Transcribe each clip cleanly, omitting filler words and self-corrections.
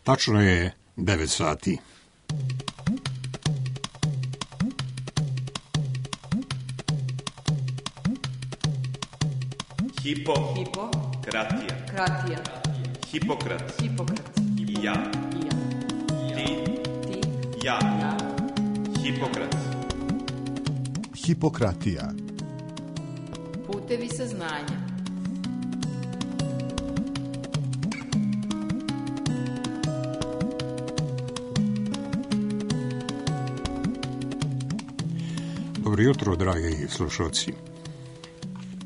Tačno je 9 sati. Hipokratija. Hipokrat. I ja. Ti. Ja. Hipokrat. Hipokratija. Putevi saznanja. Dobro jutro, dragi slušalci.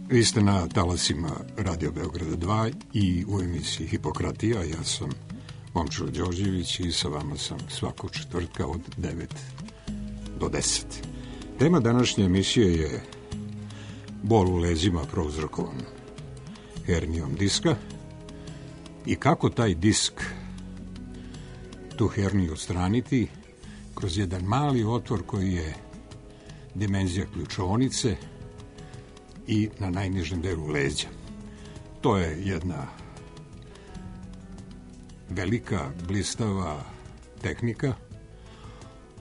Vi ste na talasima Radio Beograda 2 i u emisiji Hipokratija. Ja sam Momčilo Đorđević i sa vama sam svakog četvrtka od 9 do 10. Tema današnje emisije je bol u lezima prouzrokovan hernijom diska i kako taj disk, tu herniju odstraniti kroz jedan mali otvor koji je dimenzija ključovnice i na najnižem delu leđa. To je jedna velika, blistava tehnika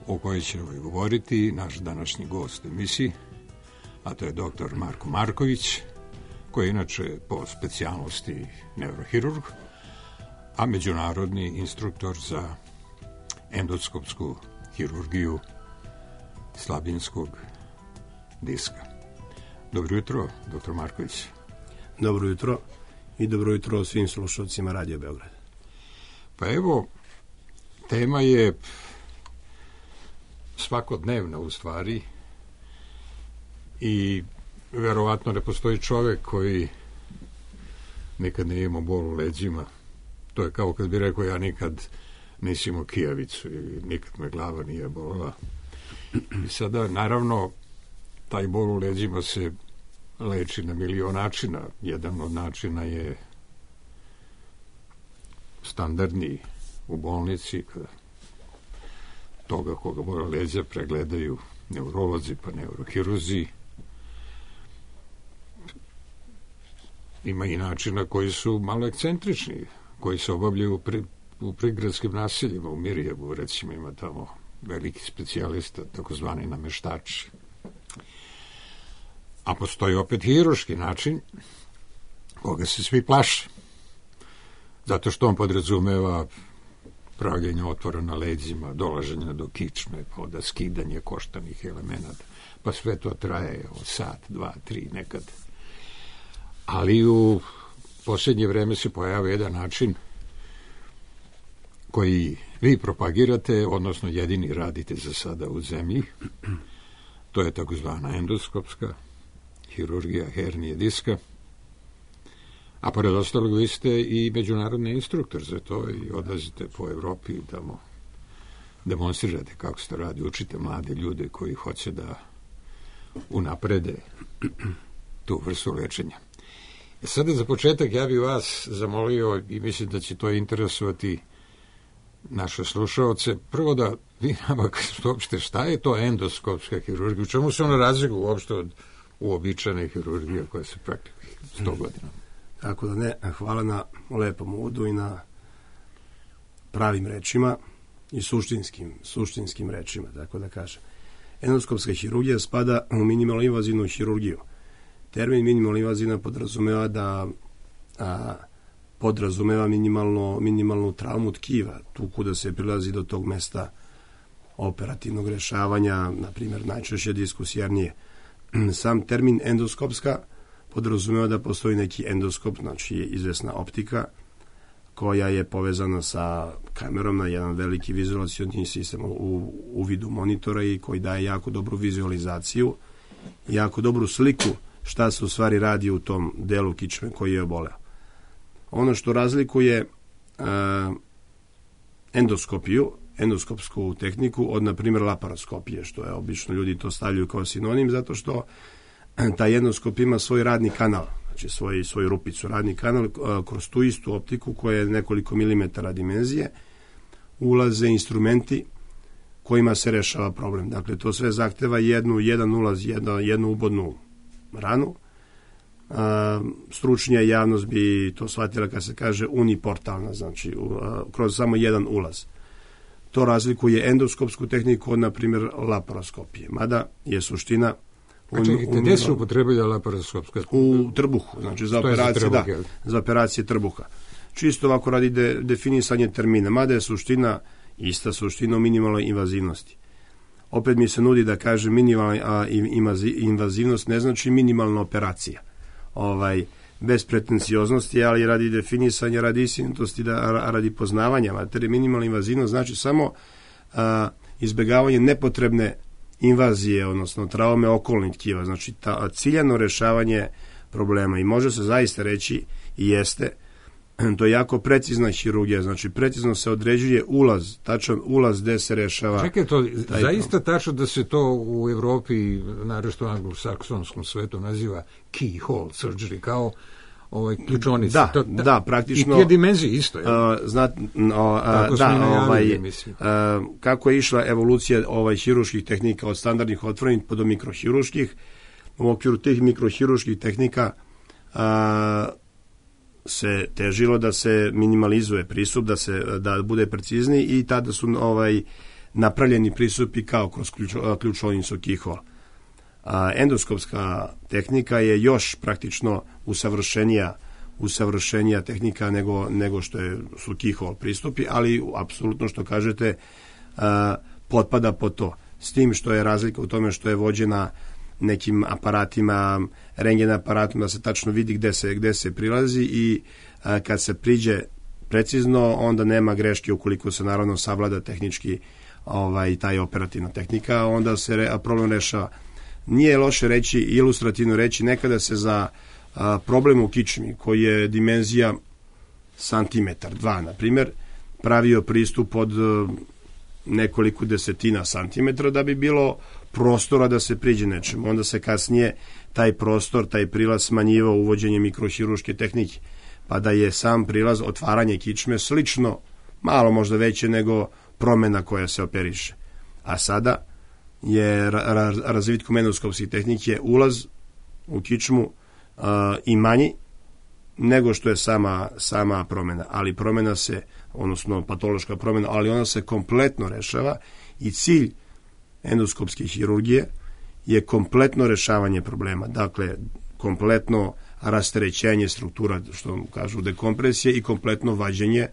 o kojoj će govoriti naš današnji gost u emisiji, a to je dr. Marko Marković, koji je inače po specijalnosti neurohirurg, a međunarodni instruktor za endoskopsku hirurgiju slabinskog diska. Dobro jutro, dr. Marković. Dobro jutro i dobro jutro svim slušalcima Radio Beograd. Pa evo, tema je svakodnevna u stvari i verovatno ne postoji čovek koji nikad nije imao bol u leđima. To je kao kad bi rekao ja nikad nisam imao kijavicu i nikad me glava nije bolila. I sada, naravno, taj bol u leđima se leči na milion načina. Jedan od načina je standardni u bolnici, kada toga koga bole leđa pregledaju neurolozi pa neurohirurzi. Ima i načina koji su malo ekscentrični, koji se obavljaju u prigradskim naseljima, u Mirjevu, recimo, ima tamo veliki specijalista, takozvani nameštači. A postoji opet hirurški način koga se svi plaše. Zato što on podrazumeva pravljenje otvora na leđima, dolaženje do kičme, pa onda skidanje koštanih elemenata. Pa sve to traje sat, 2, 3 nekad. Ali u posljednje vreme se pojavio jedan način koji vi propagirate, odnosno jedini radite za sada u zemlji. To je takozvana endoskopska hirurgija hernije diska. A pored ostalog vi ste i međunarodni instruktor za to i odlazite po Evropi i tamo demonstrirate kako se to radi, učite mlade ljude koji hoće da unaprede tu vrstu lečenja. Sada za početak ja bih vas zamolio i mislim da će to interesovati naše slušaoce. Prvo da vi nama kažete uopšte šta je to endoskopska hirurgija, u čemu se ona razlikuje uopšte od uobičajene hirurgije koja se praktikuje 100 godina. Tako da hvala na lepom uvodu i na pravim rečima i suštinskim rečima, tako da kažem. Endoskopska hirurgija spada u minimalno invazivnu hirurgiju. Termin minimalno invazivna podrazumeva minimalnu traumu tkiva, tu kuda se prilazi do tog mesta operativnog rešavanja, na primjer najčešće diskus hernije. Sam termin endoskopska podrazumeva da postoji neki endoskop, znači izvesna optika koja je povezana sa kamerom na jedan veliki vizualizacioni sistem u vidu monitora i koji daje jako dobru vizualizaciju, jako dobru sliku šta se u stvari radi u tom delu kičme koji je oboleo. Ono što razlikuje endoskopsku tehniku od, na primjer, laparoskopije, što je obično ljudi to stavljaju kao sinonim, zato što taj endoskop ima svoj radni kanal, znači svoju rupicu, radni kanal, kroz tu istu optiku koja je nekoliko milimetara dimenzije, ulaze instrumenti kojima se rešava problem. Dakle, to sve zahteva jedan ulaz, jednu ubodnu ranu, stručnija javnost bi to shvatila kad se kaže uniportalna, znači kroz samo jedan ulaz. To razlikuje endoskopsku tehniku od, na primjer, laparoskopije. Mada je suština... čekajte, gdje se upotrebuje laparoskopska? U trbuhu, znači za operacije trbuha. Čisto ovako radi definisanje termina, mada je suština, ista suština u minimalnoj invazivnosti. Opet mi se nudi da kaže minimalna invazivnost ne znači minimalna operacija. Bez pretencioznosti, ali radi definisanja, radi istinitosti, radi poznavanja materije. Minimalna invazivnost znači samo izbjegavanje nepotrebne invazije, odnosno traume okolnih tkiva, znači ciljano rješavanje problema. I može se zaista reći, i jeste, to je jako precizna hirurgija, znači precizno se određuje ulaz, tačan ulaz gde se rešava. Čekaj, to zaista tačno da se to u Evropi, naročito u anglosaksonskom svetu, naziva keyhole surgery, kao ključonica. Da, praktično. I te dimenzije isto, je. Kako je išla evolucija hirurških tehnika od standardnih otvorenih do mikrohirurških, u okviru tih mikrohirurških tehnika se težilo da se minimalizuje pristup, da bude precizniji, i tada su napravljeni pristupi kao kroz ključovnicu keyhole. Endoskopska tehnika je još praktično usavršenija tehnika nego što su keyhole pristupi, ali apsolutno što kažete potpada po to. S tim što je razlika u tome što je vođena nekim aparatima, rentgen aparatima, da se tačno vidi gde se prilazi, i kad se priđe precizno, onda nema greške ukoliko se naravno savlada tehnički taj operativna tehnika, onda se problem rešava. Nije loše reći, ilustrativno reći, nekada se za problem u kičmi, koji je dimenzija santimetar, 2, na primjer, pravio pristup od nekoliko desetina santimetra da bi bilo prostora da se priđe nečemu. Onda se kasnije taj prostor, taj prilaz smanjivao uvođenje mikrohirurške tehnike, pa da je sam prilaz, otvaranje kičme slično, malo možda veće nego promena koja se operiše. A sada je razvitkom endoskopskih tehnike je ulaz u kičmu i manji nego što je sama promena, ali promena se, odnosno patološka promena, ali ona se kompletno rešava, i cilj endoskopske hirurgije je kompletno rešavanje problema, dakle kompletno rasterećenje struktura, što kažu dekompresije, i kompletno vađenje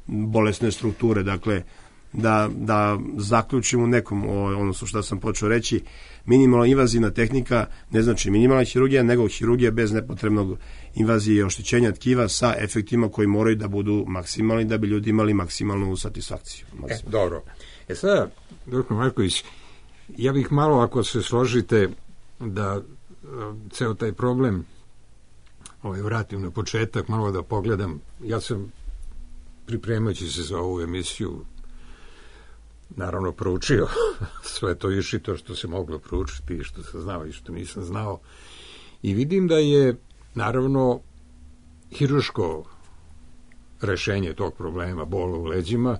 bolesne strukture. Dakle, da zaključimo nekom, odnosno što sam počeo reći, minimalno invazivna tehnika ne znači minimalna hirurgija, nego hirurgija bez nepotrebnog invazije i oštećenja tkiva sa efektima koji moraju da budu maksimalni da bi ljudi imali maksimalnu satisfakciju. Dobro. Sada, dr. Marković, ja bih malo, ako se složite, da ceo taj problem vratim na početak, malo da pogledam. Ja sam, pripremajući se za ovu emisiju, naravno proučio sve to i to što se moglo proučiti, i što sam znao i što nisam znao, i vidim da je naravno hirurško rešenje tog problema bola u leđima,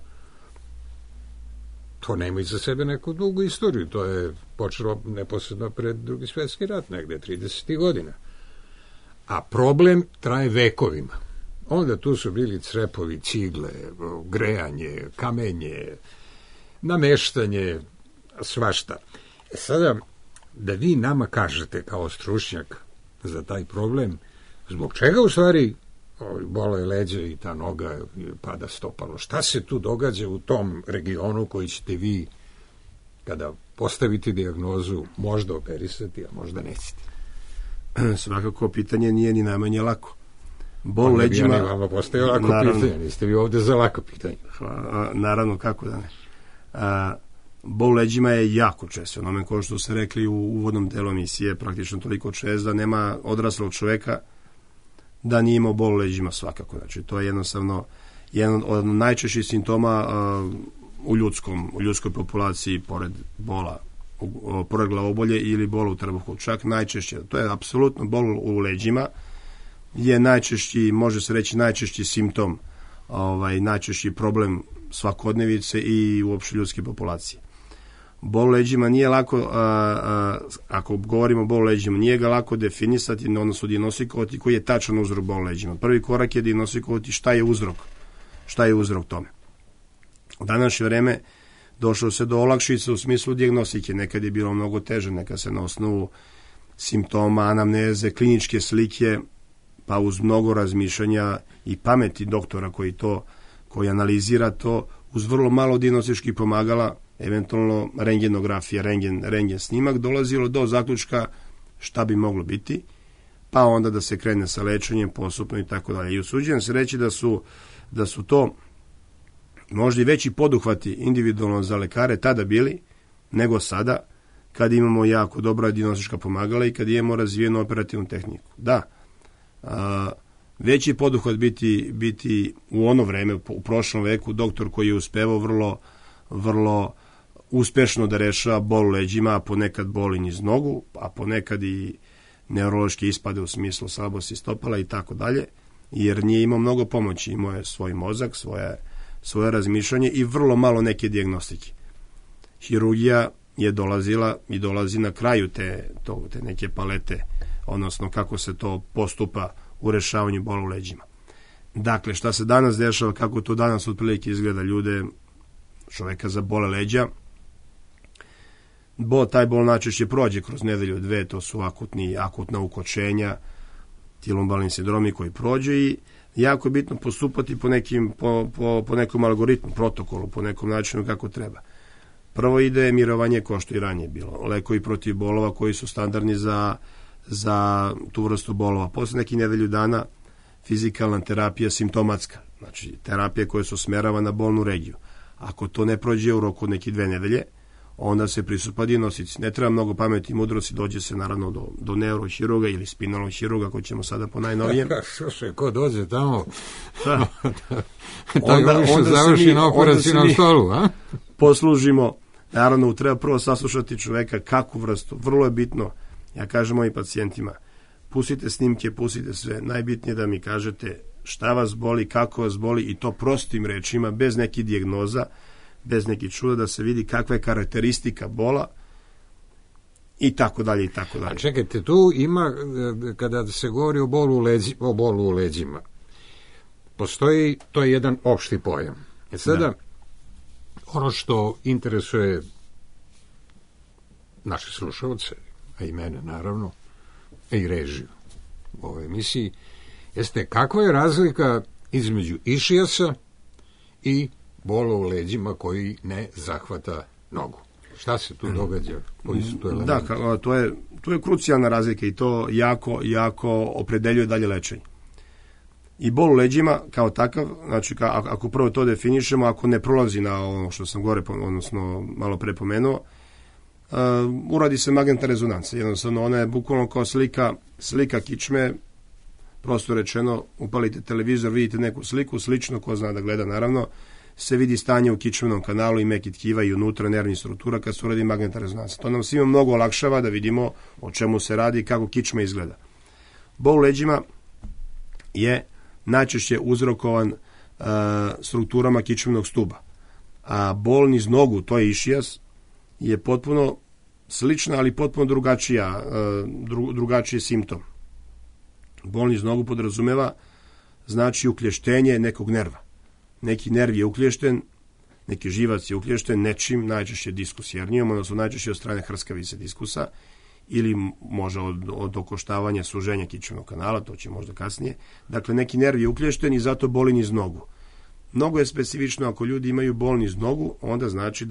to nema iza sebe neku dugu istoriju. To je počelo neposredno pred Drugi svjetski rat, negde 30. godina. A problem traje vekovima. Onda tu su bili crepovi, cigle, grejanje, kamenje, nameštanje, svašta. Sada, da vi nama kažete kao stručnjak za taj problem, zbog čega u stvari bolo je leđa i ta noga pada stopalo? Šta se tu događa u tom regionu koji ćete vi, kada postavite dijagnozu, možda operisati, a možda nećete? Svakako pitanje nije ni najmanje lako. Bol leđima... Ja vama postaje lako pitanje, niste vi ovde za lako pitanje. Naravno, kako da ne. Bol leđima je jako čest fenomen, kao što ste rekli u uvodnom delu emisije, praktično toliko čest da nema odraslog čoveka da nije imao bol leđima svakako. Znači, to je jednostavno jedan od najčešćih simptoma u ljudskoj populaciji, pored bola, pored glavobolje ili bola u trbuhu. Čak najčešće, to je apsolutno bol u leđima, je najčešći, može se reći najčešći simptom, najčešći problem svakodnevice i uopšte ljudske populacije. Bol u leđima nije lako, ako govorimo o bolu u leđima, nije ga lako definisati, odnosno dijagnostikovati koji je tačan uzrok bolu u leđima. Prvi korak je dijagnostikovati šta je uzrok tome. U današnje vreme došlo se do olakšica u smislu dijagnostike. Nekad je bilo mnogo teže, nekad se na osnovu simptoma, anamneze, kliničke slike, pa uz mnogo razmišljanja i pameti doktora koji analizira to, uz vrlo malo dijagnostičkih pomagala, eventualno rentgenografija, rentgen snimak, dolazilo do zaključka šta bi moglo biti, pa onda da se krene sa lečenjem postupno i tako dalje. I usuđujem se reći da su to možda i veći poduhvati individualno za lekare tada bili nego sada, kad imamo jako dobra dijagnostička pomagala i kad imamo razvijenu operativnu tehniku. Da, veći poduhvat biti u ono vreme, u prošlom veku, doktor koji je uspevao vrlo uspešno da rešava bol u leđima, a ponekad boli niz nogu, a ponekad i neurološke ispade u smislu slabosti stopala i tako dalje, jer nije imao mnogo pomoći, imao je svoj mozak, svoje razmišljanje i vrlo malo neke dijagnostike. Hirurgija je dolazila i dolazi na kraju te neke palete, odnosno kako se to postupa u rešavanju bola u leđima. Dakle, šta se danas dešava, kako to danas otprilike izgleda ljude, čoveka za bole leđa, taj bol najčešće prođe kroz nedelju, dve, to su akutna ukočenja, ti lumbalni sindromi koji prođe i jako je bitno postupati po nekom algoritmu, protokolu, po nekom načinu kako treba. Prvo ide mirovanje, kao što i ranije bilo, lekovi protiv bolova koji su standardni za tu vrstu bolova. Posle nekih nedelju dana fizikalna terapija simptomatska, znači terapija koja se usmerava na bolnu regiju. Ako to ne prođe u roku nekih 2 nedelje, onda se pristupa dijagnostici. Ne treba mnogo pameti i mudrosti, dođe se naravno do neurohirurga ili spinalnog hirurga, ako ćemo sada po najnovijem. Ko dođe tamo, onda završi na operacijnom stolu, a? Poslužimo, naravno, treba prvo saslušati čoveka kakvu vrstu, vrlo je bitno, ja kažem mojim pacijentima, pustite snimke, pustite sve, najbitnije da mi kažete šta vas boli, kako vas boli i to prostim rečima, bez nekih dijagnoza, bez nekih čuda, da se vidi kakva je karakteristika bola i tako dalje i tako dalje. A čekajte, tu ima, kada se govori o bolu u leđima, postoji, to je jedan opšti pojam. Sada, ono što interesuje naše slušalce, a i mene naravno, a i režiju u ovoj emisiji, jeste kakva je razlika između išijasa i bola u leđima koji ne zahvata nogu. Šta se tu događa? Koji su tu elementi? Da, to je krucijalna razlika i to jako opredeljuje dalje lečenje. I bol u leđima kao takav, znači ako prvo to definišemo, ako ne prolazi na ono što sam gore, odnosno malo pre pomenuo, uradi se magnetna rezonanca. Jednostavno, ona je bukvalno kao slika kičme, prosto rečeno, upalite televizor, vidite neku sliku, slično, ko zna da gleda naravno, se vidi stanje u kičmenom kanalu i meki tkiva i unutra nervnih struktura kad se uradi magnetna rezonanca. To nam svima mnogo olakšava da vidimo o čemu se radi i kako kičma izgleda. Bol u leđima je najčešće uzrokovan strukturama kičmenog stuba. A bol niz nogu, to je išijas, je potpuno slična, ali potpuno drugačiji simptom. Bol niz nogu podrazumeva znači uklještenje nekog nerva. Neki nerv je uklješten, neki živac je uklješten nečim, najčešće diskus jernijom, odnosno najčešće od strane hrskavice diskusa, ili može od okoštavanja, suženja kičmenog kanala, to će možda kasnije. Dakle, neki nerv je uklješten i zato boli niz nogu. Mnogo je specifično, ako ljudi imaju bol niz nogu, onda znači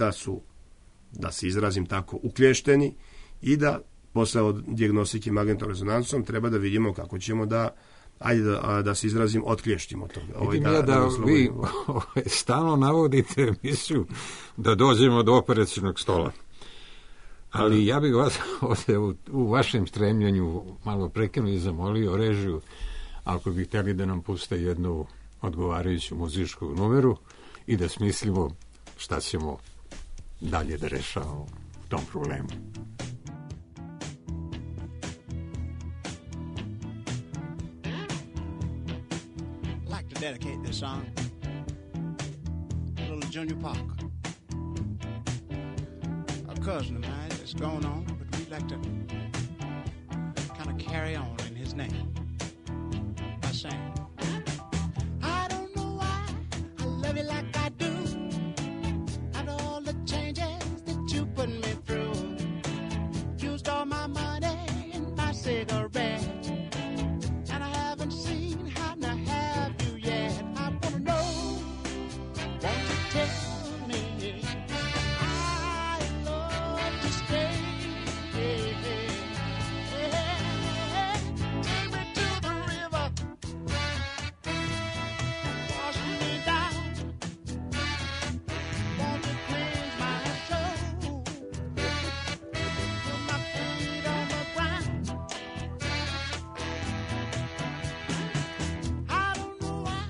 da se izrazim tako, uklješteni i da posle od dijagnostike magnetnom rezonancom treba da vidimo kako ćemo da se izrazim, otkliještimo to. Vi stalno navodite emisiju da dođemo do operacijnog stola. Ali ja bih vas ovdje u vašem stremljenju malo prekinuo i zamolio režiju, ako bi htjeli da nam puste jednu odgovarajuću muzičku numeru i da smislimo šta ćemo dalje da rešavamo tom problemu. Dedicate this song to little Junior Parker. cousin of mine that's gone on, but we'd like to kind of carry on in his name by saying, I don't know why I love you like I do, and all the changes that you put me through. Used all my money and my cigarettes, and I haven't seen how to have you yet. I wanna know, won't you tell me I love to stay? Take me to the river, wash me down. Won't you cleanse my soul? Put my feet on the ground. I don't know why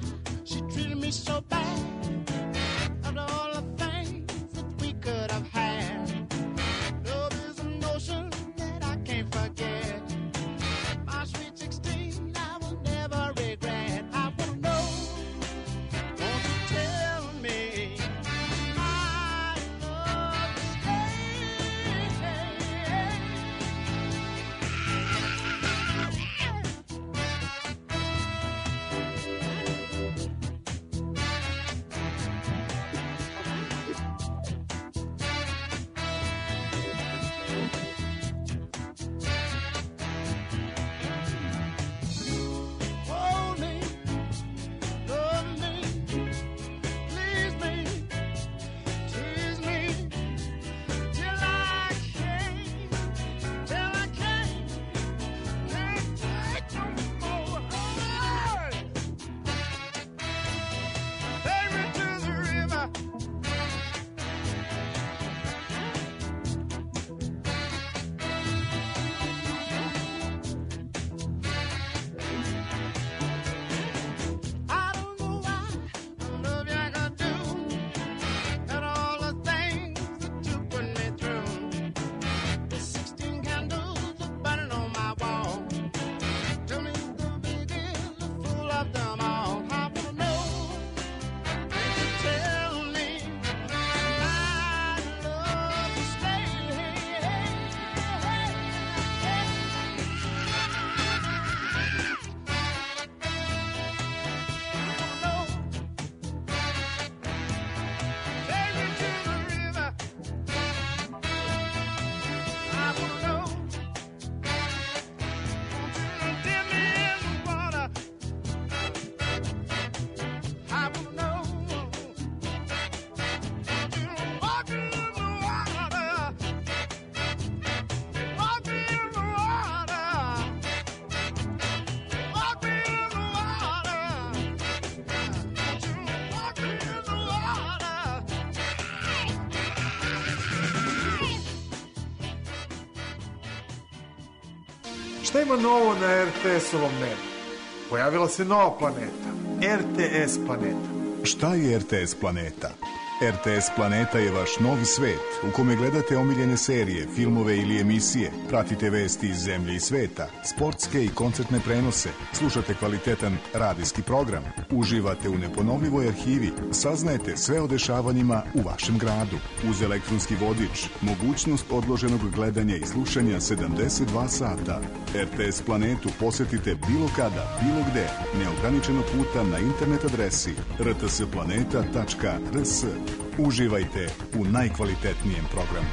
she treated me so bad. After all the things that we could have had, love is an ocean that I can't forget. My sweet 16, I will never regret. I wanna know, won't you tell me I love to stay? Hold me, love me, please me, tease me, till I can't take no more. Take me to the river. I don't know why I love you like I do, and all the things that you put me through. The 16 candles are burning on my wall. Tell me the biggest, the fool of them all. I wanna know, can you tell me I love to stay? Take me to the river. I wanna know, won't you dip me in the water? I wanna know, won't you walk me in the water? Walk me in the water. Walk me in the water. Won't you walk me in the water? Šta ima novo na RTS-ovom nebu? Pojavila se nova planeta, RTS planeta. Šta je RTS planeta? RTS planeta je vaš novi svet u kome gledate omiljene serije, filmove ili emisije, pratite vesti iz zemlje i sveta, sportske i koncertne prenose, slušate kvalitetan radijski program, uživate u neponovljivoj arhivi, saznajete sve o dešavanjima u vašem gradu. Uz elektronski vodič, mogućnost odloženog gledanja i slušanja 72 sata. RTS planetu posetite bilo kada, bilo gde, neograničeno puta na internet adresi rtsplaneta.rs. Uživajte u najkvalitetnijem programu.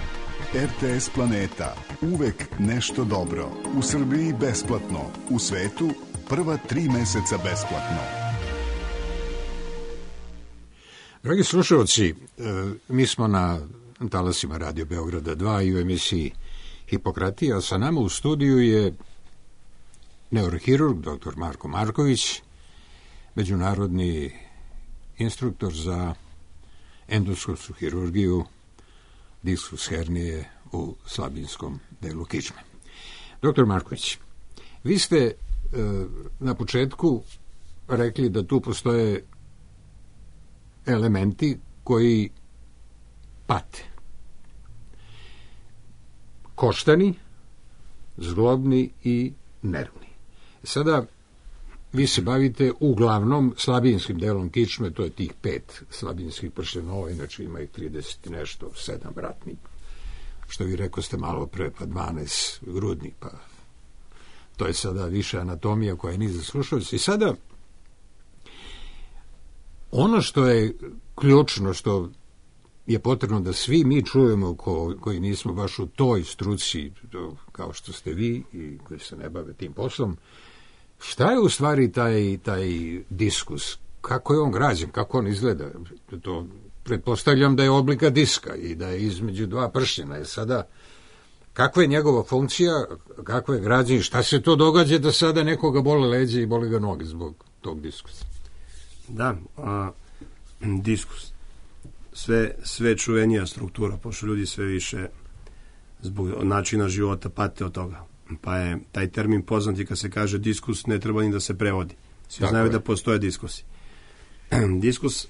RTS planeta. Uvek nešto dobro. U Srbiji besplatno. U svetu prva 3 meseca besplatno. Dragi slušalci, mi smo na talasima Radio Beograda 2 i u emisiji Hipokratija, a sa nama u studiju je neurohirurg dr. Marko Marković, međunarodni instruktor za endoskopsku hirurgiju diskus hernije u slabinskom delu kičme. Dr. Marković, vi ste na početku rekli da tu postoje elementi koji pate. Koštani, zglobni i nervni. Sada vi se bavite uglavnom slabinskim delom kičme, to je tih 5 slabinskih prstenova, inače ima ih 30 nešto, 7 vratnih. što vi rekoste malo pre, pa 12 grudni, pa to je sada više anatomija koja nije za slušalice. I sada ono što je ključno, što je potrebno da svi mi čujemo koji nismo baš u toj struci kao što ste vi i koji se ne bave tim poslom, šta je u stvari taj diskus, kako je on građen, kako on izgleda. To pretpostavljam da je oblika diska i da je između dva pršljena. Je sada, kakva je njegova funkcija, kakva je građen, šta se to događa da sada nekoga bole leđe i boli ga noge zbog tog diskusa? Da, diskus. Sve čuvenija struktura, pošto ljudi sve više zbog načina života pate od toga. Pa je taj termin poznat i kad se kaže diskus, ne treba ni da se prevodi. Svi znaju da postoje diskusi. Diskus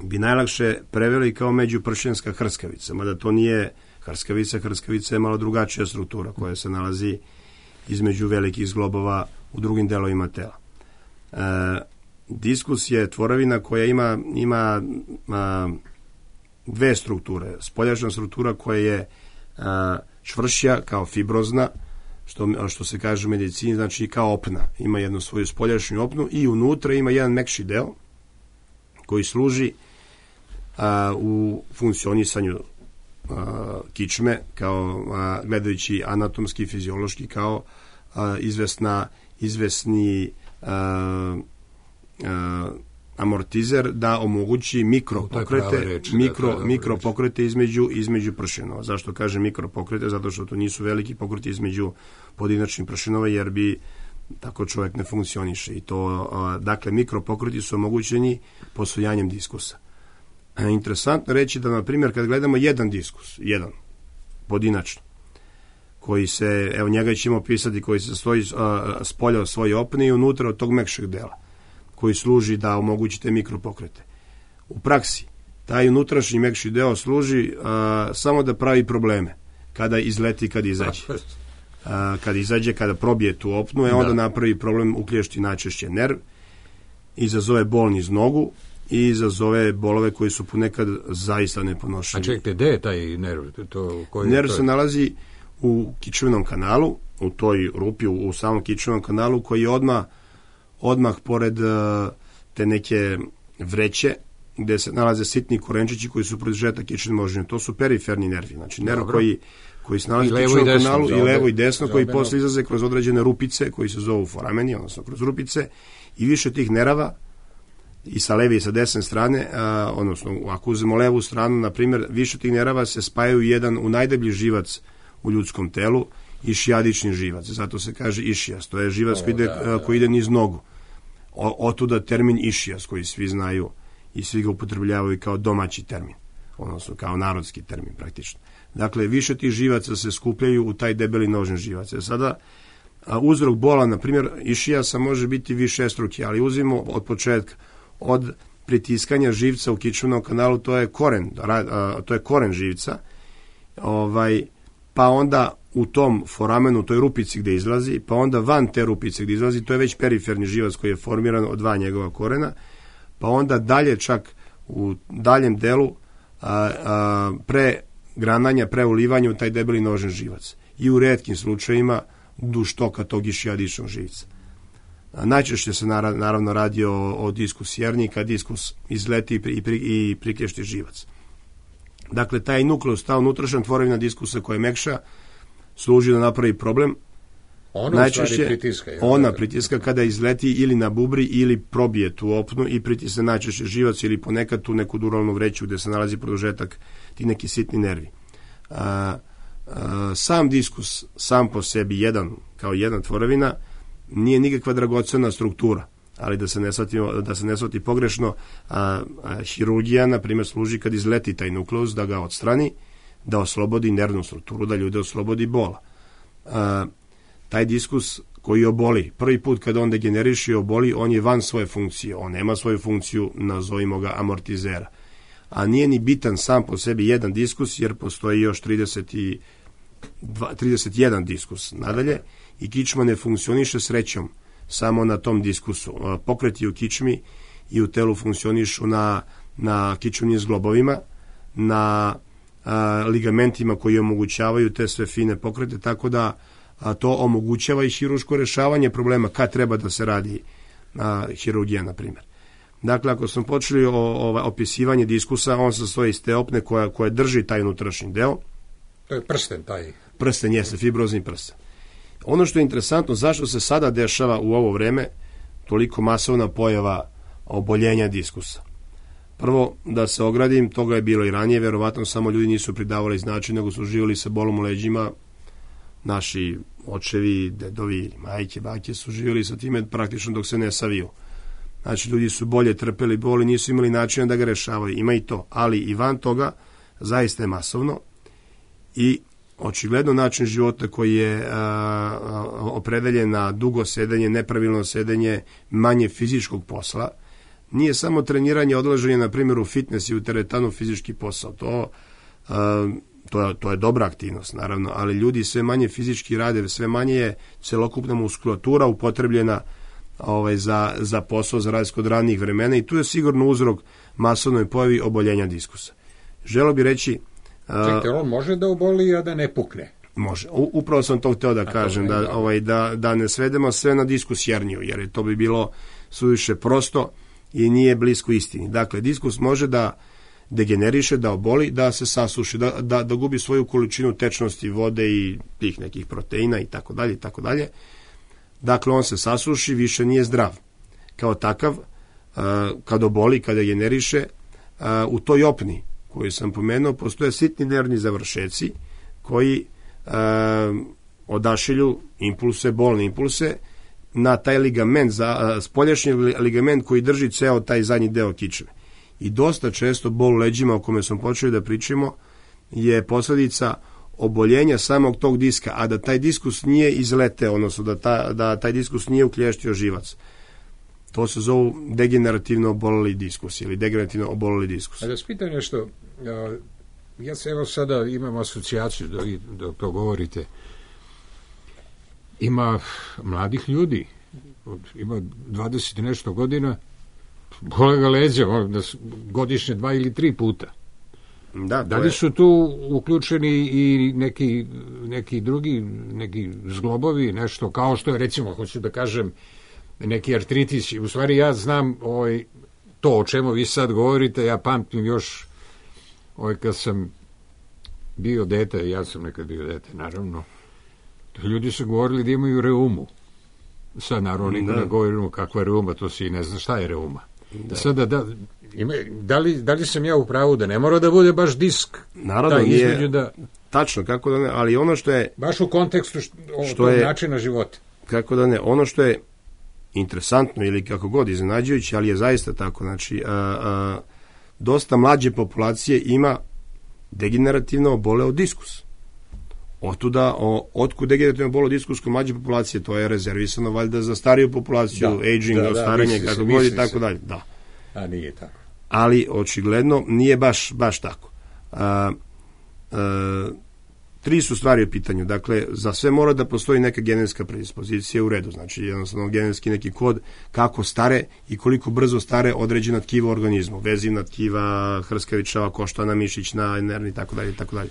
bi najlakše preveli kao međupršljenska hrskavica, mada to nije hrskavica. Hrskavica je malo drugačija struktura koja se nalazi između velikih zglobova u drugim delovima tela. Diskus je tvorevina koja ima dve strukture. Spoljašnja struktura koja je čvršća kao fibrozna, što se kaže u medicini, znači kao opna. Ima jednu svoju spoljašnju opnu i unutra ima jedan mekši deo koji služi u funkcionisanju kičme, kao gledajući anatomski, fiziološki, kao izvesni amortizer da omogući mikropokrete između pršenova. Zašto kažem mikropokrete? Zato što to nisu veliki pokreti između pojedinačnih pršenova, jer bi tako čovjek ne funkcioniše. I to, dakle, mikropokreti su omogućeni postojanjem diskusa. Interesantno reći da, na primjer, kad gledamo jedan diskus, jedan pojedinačno, koji se, evo njega ćemo opisati, koji se stoji s polja od svoje opne i unutra od tog mekšeg dela, koji služi da omogućite mikropokrete. U praksi, taj unutrašnji mekši deo služi samo da pravi probleme, kada izleti, kad izađe. Kada probije tu opnu, onda napravi problem, uklješti najčešće nerv, izazove bol niz nogu i izazove bolove koji su ponekad zaista neponošljivi. A čekajte, gde je taj nerv? Nerv se nalazi u kičmenom kanalu, u toj rupi, u samom kičmenom kanalu, koji je odmah pored te neke vreće gde se nalaze sitni korenčići koji su proizžeta kične moždine. To su periferni nervi, znači nerv koji se nalazi u kičmenom kanalu i levo i desno, koji posle izlaze kroz određene rupice koji se zovu forameni, odnosno kroz rupice, i više tih nerava i sa leve i sa desne strane, odnosno ako uzmemo levu stranu, na primjer, više tih nerava se spajaju u najdeblji živac u ljudskom telu, išijadični živac, zato se kaže išijas, to je živac koji ide niz nogu. Otuda termin išijas, koji svi znaju i svi ga upotrebljavaju kao domaći termin, odnosno kao narodski termin praktično. Dakle, više tih živaca se skupljaju u taj debeli nožni živac. Sada, uzrok bola, na primjer, išijasa može biti višestruki, ali uzmimo od početka, od pritiskanja živca u kičmenom kanalu, to je koren živca, pa onda u tom foramenu, toj rupici gde izlazi, pa onda van te rupice gde izlazi, to je već periferni živac koji je formiran od dva njegova korena, pa onda dalje čak u daljem delu pre grananja, pre ulivanja u taj debeli nožni živac. I u retkim slučajima duž toka tog išijadičnog živca. Najčešće se naravno radi o diskus jerni, kad diskus izleti i priklješti živac. Dakle, taj nukleus, ta unutrašnja tvorevina diskusa koja je mekša, služi da napravi problem. Najčešće ona pritiska kada izleti ili na bubri ili probije tu opnu i pritisne najčešće živac ili ponekad tu neku duralnu vreću gde se nalazi produžetak, ti neki sitni nervi. Sam diskus, sam po sebi kao jedna tvorevina, nije nikakva dragocena struktura, ali da se ne shvati pogrešno, hirurgija, na primjer, služi kad izleti taj nukleus, da ga odstrani, da oslobodi nervnu strukturu, da ljude oslobodi bola. Taj diskus koji oboli, prvi put kada on degeneriše i oboli, on je van svoje funkcije, on nema svoju funkciju, nazovimo ga amortizera. A nije ni bitan sam po sebi jedan diskus, jer postoji još 31 diskus nadalje i kičma ne funkcioniše srećom samo na tom diskusu. Pokreti u kičmi i u telu funkcionišu na kičmenim zglobovima, na ligamentima koji omogućavaju te sve fine pokrete, tako da to omogućava i hiruško rešavanje problema kad treba da se radi hirurgija, na primjer. Dakle, ako smo počeli opisivanje diskusa, on se sastoji iz te opne koja drži taj unutrašnji deo. To je prsten taj. Prsten jeste, fibrozni prsten. Ono što je interesantno, zašto se sada dešava u ovo vreme toliko masovna pojava oboljenja diskusa. Prvo, da se ogradim, toga je bilo i ranije, verovatno samo ljudi nisu pridavali značaj, nego su živjeli sa bolom u leđima. Naši očevi, dedovi, majke, bake su živjeli sa time praktično dok se ne saviju. Znači, ljudi su bolje trpeli bol i nisu imali načina da ga rešavaju. Ima i to, ali i van toga zaista je masovno i očigledno način života koji je opredeljen na dugo sedenje, nepravilno sedenje, manje fizičkog posla. Nije samo treniranje, odlaženje, na primjer, u fitness i u teretanu fizički posao. To je dobra aktivnost, naravno, ali ljudi sve manje fizički rade, sve manje je celokupna muskulatura upotrebljena za posao, za razliku od ranijih vremena i tu je sigurno uzrok masovnoj pojavi oboljenja diskusa. Želeo bi reći... Čekajte, on može da oboli, a da ne pukne? Može. Upravo sam to hteo da kažem, da ne svedemo sve na diskus herniju, jer to bi bilo suviše prosto i nije blisko istini. Dakle, diskus može da degeneriše, da oboli, da se sasuši, da gubi svoju količinu tečnosti vode i tih nekih proteina i tako dalje, i tako dalje. Dakle, on se sasuši, više nije zdrav. Kao takav, kad oboli, kada degeneriše, u toj opni koju sam pomenuo, postoje sitni nervni završeci koji odašilju impulse, bolne impulse, na taj ligament, spoljašnji ligament koji drži ceo taj zadnji deo kičme. I dosta često bol u leđima, o kome smo počeli da pričamo, je posledica oboljenja samog tog diska, a da taj diskus nije izleteo, odnosno da taj diskus nije uklještio živac. To se zovu degenerativno oboleli diskus ili degenerativno oboleli diskus. A da spitam nešto, ja se evo sada imam asocijaciju da to govorite. Ima mladih ljudi, ima 20 i nešto godina, bole ga leđa, godišnje 2 ili 3 puta. Da li su tu uključeni i neki drugi, neki zglobovi, nešto kao što je, recimo, hoću da kažem, neki artritis. U stvari ja znam to o čemu vi sad govorite, ja pamtim još kad sam bio dete, ja sam nekad bio dete, naravno, ljudi su govorili da imaju reumu. Sad naravno niko ne govorimo kakva je reuma, to se i ne zna šta je reuma. Sada da li sam ja u pravu da ne mora da bude baš disk? Naravno nije tačno, kako da ne, ali ono što je... Baš u kontekstu što je načina života. Kako da ne, ono što je interesantno ili kako god iznenađujuće, ali je zaista tako, znači dosta mlađe populacije ima degenerativno oboleo diskus. Otkud degenerativno oboleo diskus kod mlađe populacije, to je rezervisano valjda za stariju populaciju, aging, ostarenje, kako god i tako dalje. Da. A nije tako. Ali očigledno nije baš tako. 3 su stvari u pitanju. Dakle, za sve mora da postoji neka genetska predispozicija u redu. Znači, jednostavno genetski neki kod kako stare i koliko brzo stare određena tkiva u organizmu. Vezivna tkiva, hrskavičava, koštana, mišićna, nervna i tako dalje, i tako dalje.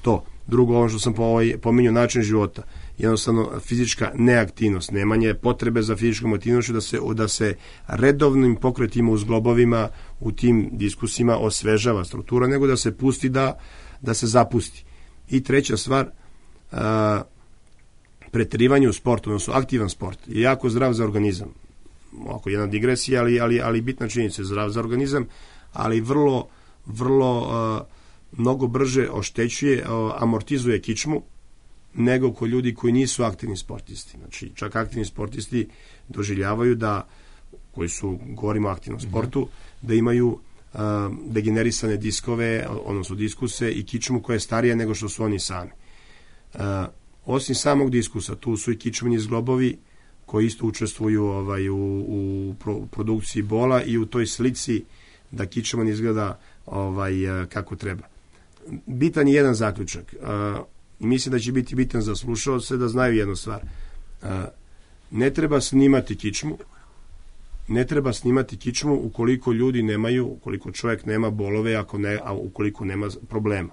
To. Drugo, ono što sam pominjao, način života. Jednostavno, fizička neaktivnost, nemanje potrebe za fizičkom aktivnošću, da se redovnim pokretima u zglobovima, u tim diskusima osvežava struktura, nego da se pusti da se zapusti. I treća stvar, preterivanje u sportu, odnosno aktivan sport, je jako zdrav za organizam. Oko jedna digresija, ali bitna činjenica je zdrav za organizam, ali vrlo mnogo brže oštećuje, amortizuje kičmu nego kod ljudi koji nisu aktivni sportisti. Znači, čak aktivni sportisti doživljavaju koji su, govorimo o aktivnom sportu, da imaju degenerisane diskove, odnosno diskuse i kičmu koja je starija nego što su oni sami. Osim samog diskusa, tu su i kičmeni zglobovi koji isto učestvuju u produkciji bola i u toj slici da kičman izgleda kako treba. Bitan je jedan zaključak. Mislim da će biti bitan za slušaoce da znaju jednu stvar. Ne treba snimati kičmu. Ne treba snimati kičmu ukoliko ljudi nemaju, ukoliko čovjek nema bolove, ukoliko nema problema.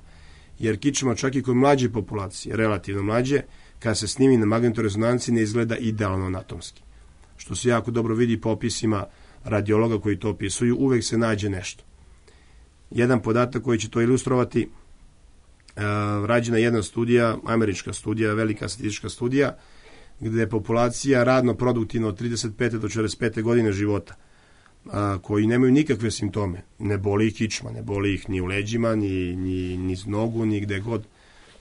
jer kičma čak i kod mlađe populacije, relativno mlađe, kada se snimi na magnetorezonanci ne izgleda idealno anatomski. Što se jako dobro vidi po opisima radiologa koji to opisuju, uvek se nađe nešto. Jedan podatak koji će to ilustrovati, rađena jedna studija, američka studija, velika statistička studija, gde je populacija radno produktivna od 35. do 45. godine života, koji nemaju nikakve simptome. Ne boli ih kičma, ne boli ih ni u leđima, ni nogu, ni gde god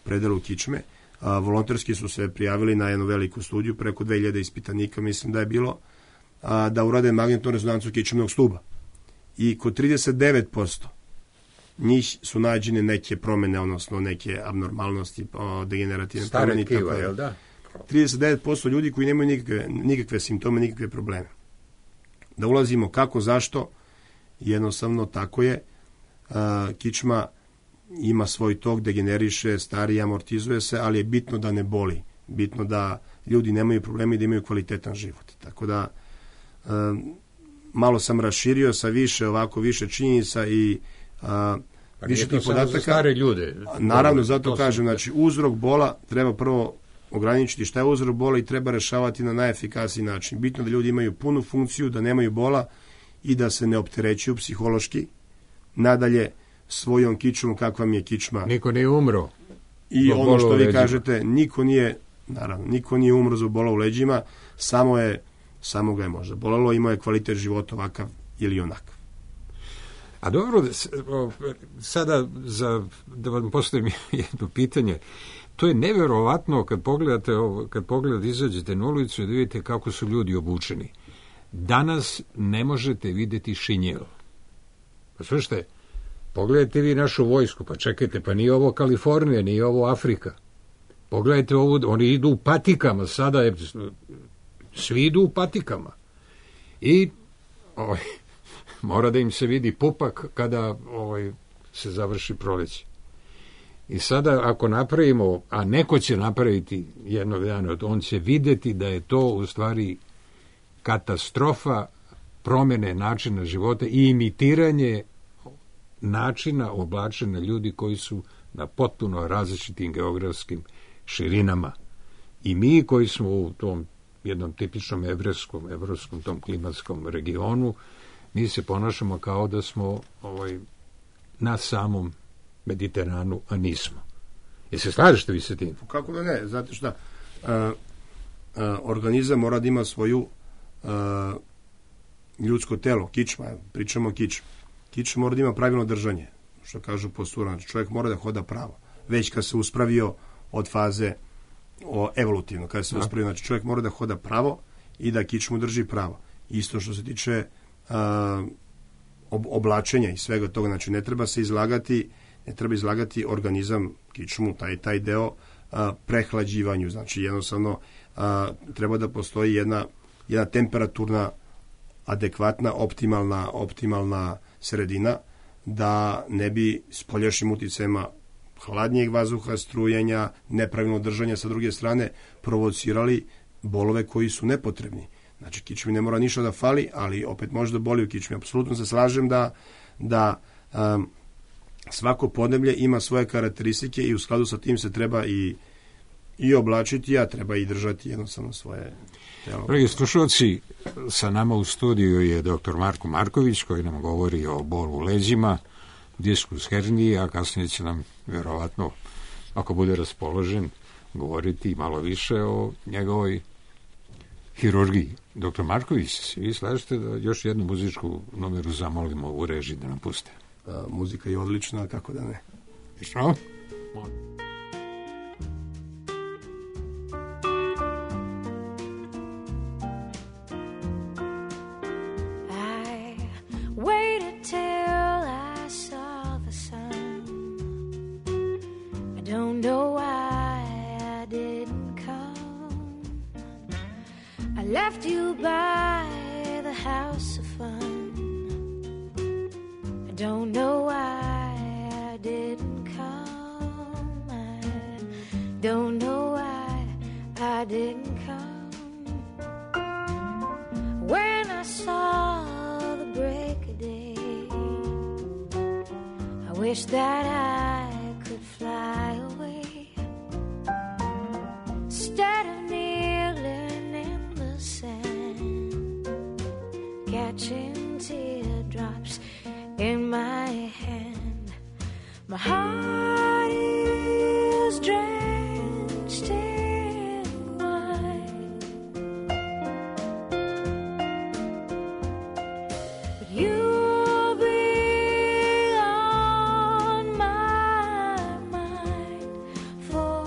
predelu kičme. Volonterski su se prijavili na jednu veliku studiju, preko 2000 ispitanika, mislim da je bilo, da urade magnetnu rezonancu kičmenog stuba. I kod 39% njih su nađene neke promene, odnosno neke abnormalnosti, degenerativne promene. Stare tkiva, jel da? 39% ljudi koji nemaju nikakve simptome, nikakve probleme. Da ulazimo kako, zašto, jednostavno tako je. Kičma ima svoj tok, degeneriše, stari, amortizuje se, ali je bitno da ne boli. Bitno da ljudi nemaju problema i da imaju kvalitetan život. Tako da malo sam raširio sa više činjenica i više tih podataka. Stare ljude. Naravno, zato kažem, znači uzrok bola treba prvo ograničiti šta je uzrok bola i treba rešavati na najefikasniji način. Bitno da ljudi imaju punu funkciju, da nemaju bola i da se ne opterećuju psihološki. Nadalje, svojom kičmom, kakva mi je kičma. Niko nije umro. I ono što vi kažete, niko nije umro zbog bola u leđima, samo ga je možda bolelo, imao je kvalitet života ovakav ili onakav. A dobro, sada da vam postavim jedno pitanje. To je neverovatno kad pogledate, izađete na ulicu i da vidite kako su ljudi obučeni. Danas ne možete vidjeti šinjel. Pa slušajte, pogledajte vi našu vojsku, pa čekajte, pa nije ovo Kalifornija, nije ovo Afrika. Pogledajte ovo, oni idu u patikama, sada svi idu u patikama. I mora da im se vidi pupak kada se završi proleće. I sada ako napravimo, a neko će napraviti jednog dana, on će vidjeti da je to u stvari katastrofa promjene načina života i imitiranje načina oblačenja ljudi koji su na potpuno različitim geografskim širinama. I mi koji smo u tom jednom tipičnom evropskom tom klimatskom regionu, mi se ponašamo kao da smo na samom Mediteranu, a nismo. Jel se slažete vi sa tim? Kako da ne? Znate šta? Organizam mora da ima svoju ljudsko telo, kičma, pričamo o kičmi. Kičma mora da ima pravilno držanje, što kažu postura. Znači, čovjek mora da hoda pravo. Već kad se uspravio od faze evolutivno, kada se uspravio, znači čovjek mora da hoda pravo i da kičmu drži pravo. Isto što se tiče oblačenja i svega toga, znači ne treba izlagati organizam, kičmu, taj deo prehlađivanju, znači jednostavno treba da postoji jedna temperaturna, adekvatna, optimalna sredina, da ne bi spoljašnjim uticajima hladnijeg vazduha, strujenja, nepravilno držanja sa druge strane provocirali bolove koji su nepotrebni. Znači, kičmi ne mora ništa da fali, ali opet može da boli u kičmi. Apsolutno se slažem da svako podneblje ima svoje karakteristike i u skladu sa tim se treba i oblačiti, a treba i držati jednostavno svoje telo. Dragi slušalci, sa nama u studiju je dr. Marko Marković, koji nam govori o bolu u leđima, diskus herniji, a kasnije će nam vjerovatno, ako bude raspoložen, govoriti malo više o njegovoj hirurgiji. Dr. Marković, vi slažete da još jednu muzičku numeru zamolimo u režiji da nam puste? Muzika je odlična, kako da ne. Što? Left you by the house of fun. I don't know why I didn't come. I don't know why I didn't come. When I saw the break of day, I wish that I could fly away instead of kneeling in the sand, catching teardrops in my hand. My heart is drenched in wine, but you'll be on my mind forever.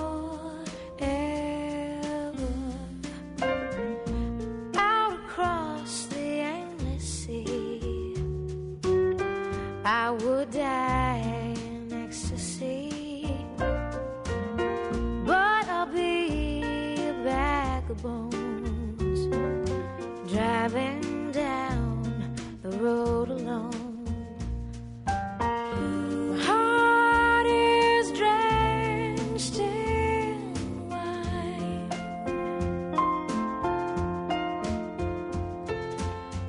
Out across the endless sea, I would die in ecstasy, but I'll be a bag of bones driving down the road alone. My heart is drenched in wine,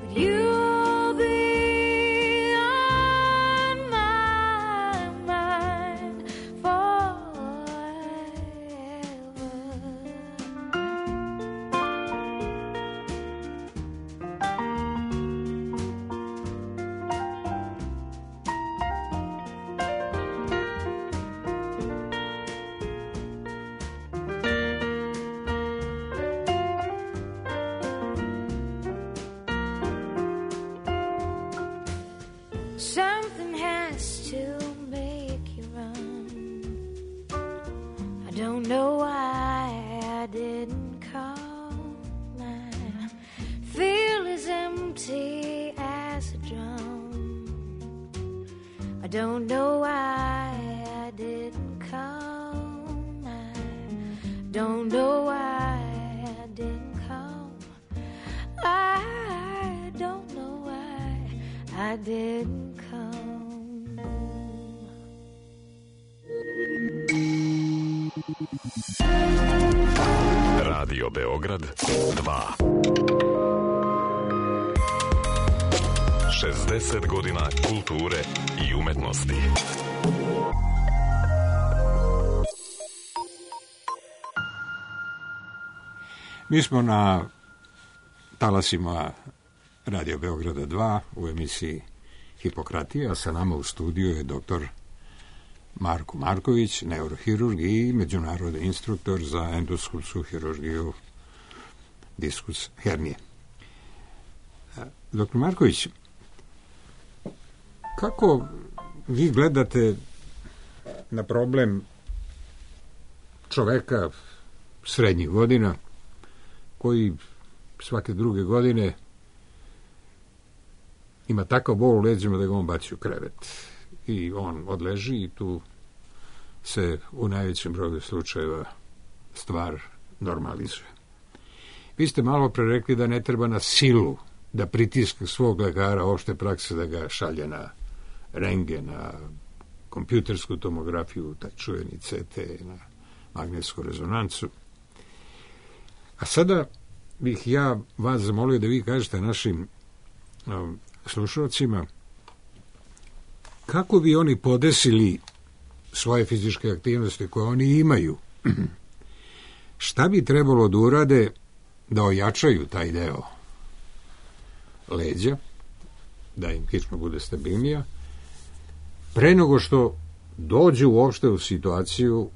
but you'll be on my mind forever. Something has to make you run. I don't know why I didn't come. I feel as empty as a drum. I don't know why I didn't come. I don't know why I didn't come. I don't know why I didn't come. Radio Beograd 2. 60 godina kulture i umetnosti. Mi smo na talasima Radio Beograda 2 u emisiji Hipokratija, a sa nama u studiju je doktor Marko Marković, neurohirurg i međunarodni instruktor za endoskopsku hirurgiju diskus hernije. Doktor Marković, kako vi gledate na problem čoveka srednjih godina koji svake druge godine ima takav bol u leđima da ga on baci u krevet i on odleži i tu se u najvećem broju slučajeva stvar normalizuje. Vi ste malo pre rekli da ne treba na silu da pritiska svog lekara opšte prakse da ga šalje na rentgen, na kompjutersku tomografiju, taj čuveni CT, na magnetsku rezonancu. A sada bih ja vas zamolio da vi kažete našim slušalcima kako bi oni podesili svoje fizičke aktivnosti koje oni imaju. Šta bi trebalo da urade da ojačaju taj deo leđa, da im kičma bude stabilnija, pre nego što dođu uopšte u situaciju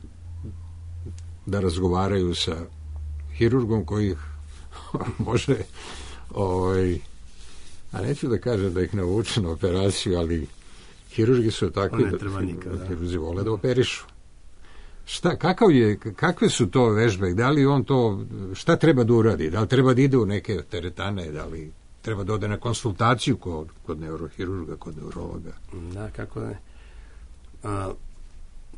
da razgovaraju sa hirurgom koji ih može, a neću da kažem da ih navuče na operaciju, ali hirurgi su takvi da hirurzi vole da operišu. Kakve su to vežbe? Da li on to, šta treba da uradi? Da li treba da ide u neke teretane? Da li treba da ode na konsultaciju kod neurohirurga, kod neurologa? Da, kako ne.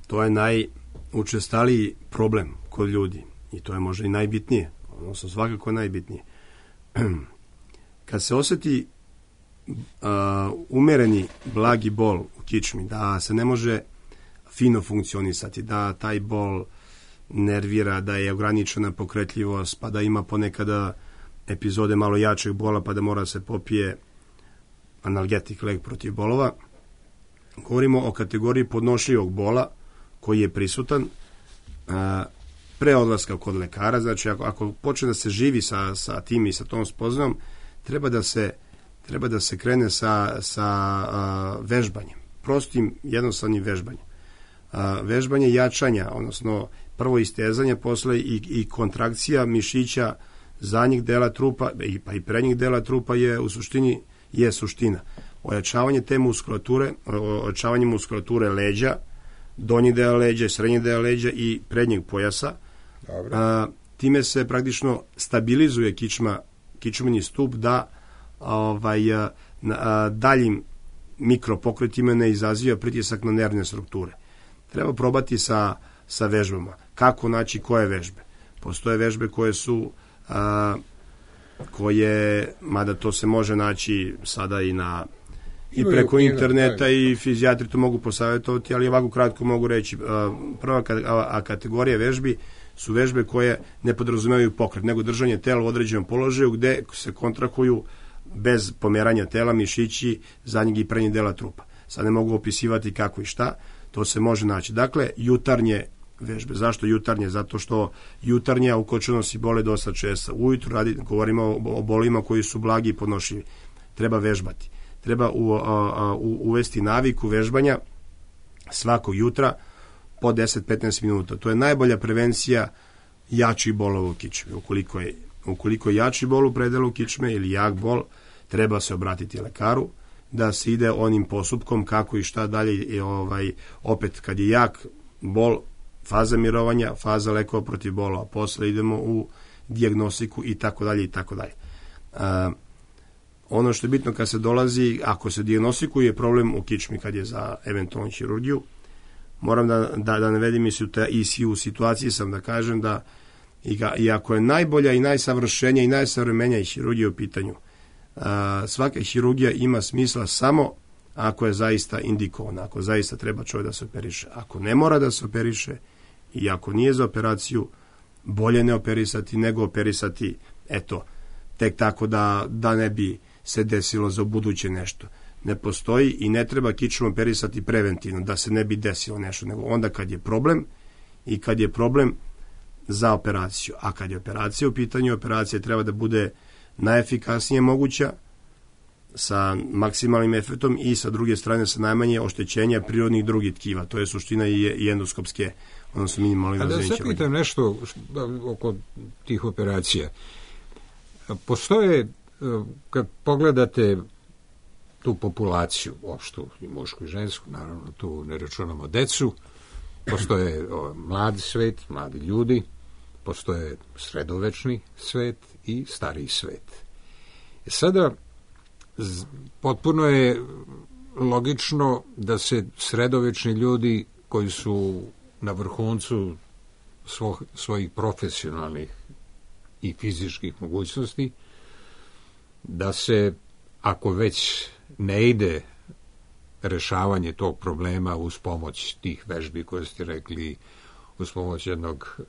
To je najučestaliji problem kod ljudi i to je možda i najbitnije, odnosno svakako najbitnije. Kad se osjeti umereni blagi bol u kičmi, da se ne može fino funkcionisati, da taj bol nervira, da je ograničena pokretljivost, pa da ima ponekada epizode malo jačeg bola, pa da mora se popije analgetik, lek protiv bolova. Govorimo o kategoriji podnošljivog bola, koji je prisutan pre odlaska kod lekara. Znači ako počne da se živi sa tim i sa tom spoznajom, treba da se krene sa vežbanjem, prostim jednostavnim vežbanjem. Vežbanje jačanja, odnosno prvo istezanje, posle i kontrakcija mišića zadnjeg dela trupa pa i prednjeg dela trupa je u suštini suština. Ojačavanje te muskulature, ojačavanje muskulature leđa, donji deo leđa, srednji deo leđa i prednjeg pojasa. Time se praktično stabilizuje kičmeni stup da daljim mikropokretima ne izaziva pritisak na nervne strukture. Treba probati sa vežbama. Kako naći koje vežbe? Postoje vežbe koje su mada to se može naći sada i preko interneta i fizijatri to mogu posavjetovati, ali ovako kratko mogu reći. Prva kategorija vežbi su vežbe koje ne podrazumevaju pokret, nego držanje tela u određenom položaju gde se kontrahuju bez pomeranja tela mišići zadnjeg i prednjeg dela trupa. Sad ne mogu opisivati kako i šta, to se može naći. Dakle, jutarnje vežbe. Zašto jutarnje? Zato što jutarnja ukočenosti bole dosta često. Ujutru govorimo o bolima koji su blagi i podnošljivi. Treba vežbati. Treba uvesti naviku vežbanja svakog jutra po 10-15 minuta. To je najbolja prevencija jačih bolova u kičmi. Ukoliko je jači bol u predelu kičme ili jak bol, treba se obratiti lekaru da se ide onim postupkom kako i šta dalje. Opet, kad je jak bol, faza mirovanja, faza lekova protiv bolova, posle idemo u dijagnostiku i tako dalje i tako dalje. Ono što je bitno kad se dolazi, ako se dijagnostikuje problem u kičmi kad je za eventualnu hirurgiju, moram da navedim i u situaciji sam da kažem da i ako je najbolja i najsavršenija i najsavremenija hirurgija u pitanju, svaka hirurgija ima smisla samo ako je zaista indikovana, ako zaista treba čovjek da se operiše. Ako ne mora da se operiše i ako nije za operaciju, bolje ne operisati nego operisati, tek tako da ne bi se desilo za buduće nešto. Ne postoji i ne treba kičmu operisati preventivno, da se ne bi desilo nešto, nego onda kad je problem i kad je problem za operaciju. A kad je operacija u pitanju, operacija treba da bude najefikasnije moguća, sa maksimalnim efektom i sa druge strane sa najmanje oštećenja prirodnih drugih tkiva. To je suština i endoskopske, odnosno minimalne razvijeće. Da se pitam nešto oko tih operacija. Postoje, kad pogledate tu populaciju, opštu i mušku i žensku, naravno tu ne računamo decu, postoje mladi svet, mladi ljudi, postoje sredovečni svet i stariji svet. Sada potpuno je logično da se sredovečni ljudi koji su na vrhuncu svojih profesionalnih i fizičkih mogućnosti, da se, ako već ne ide rešavanje tog problema uz pomoć tih vežbi koje ste rekli, uz pomoć jednog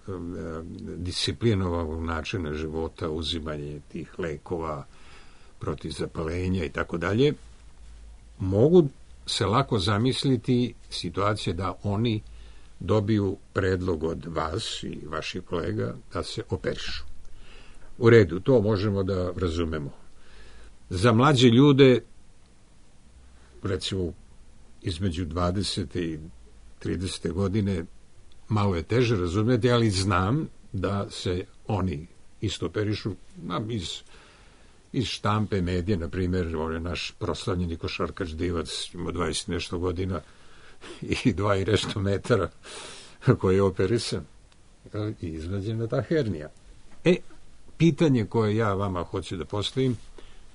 disciplinovanog načina života, uzimanje tih lekova protiv zapalenja i tako dalje, mogu se lako zamisliti situacije da oni dobiju predlog od vas i vaših kolega da se operišu. U redu, to možemo da razumemo. Za mlađe ljude, recimo između 20. i 30. godine, malo je teže razumjeti, ali znam da se oni isto operišu iz štampe, medije, na primjer, on je naš proslavljeni košarkaš Divac, ima 20 nešto godina i 2 i nešto metara koji je operisan i izvađena ta hernija. Pitanje koje ja vama hoću da postavim,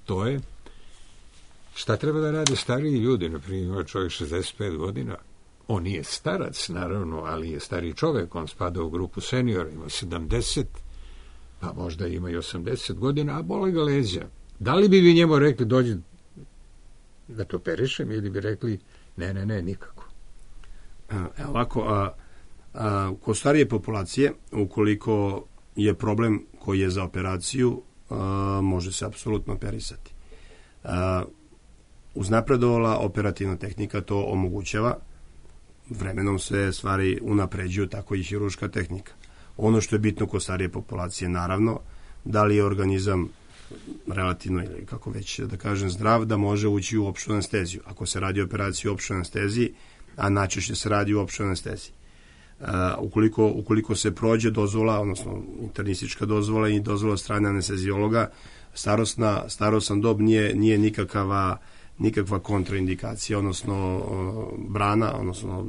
to je šta treba da rade stariji ljudi, na primjer čovjek 65 godina, on nije starac naravno, ali je stariji čovjek, on spada u grupu seniora, ima 70, pa možda ima i 80 godina, a bole ga leđa. Da li bi vi njemu rekli dođi da to operišem ili bi rekli ne, nikako? Ovako, kod starije populacije, ukoliko je problem koji je za operaciju, može se apsolutno operisati. Uznapredovala operativna tehnika to omogućava. vremenom se stvari unapređuju, tako i hiruška tehnika. Ono što je bitno kod starije populacije, naravno, da li je organizam relativno, ili kako već da kažem, zdrav, da može ući u opštu anesteziju. Ako se radi o operaciji u opštoj anesteziji, a najčešće se radi u opštoj anesteziji. Ukoliko se prođe dozvola, odnosno internistička dozvola i dozvola od strane anesteziologa, starosna dob nije nikakva kontraindikacija, odnosno brana, odnosno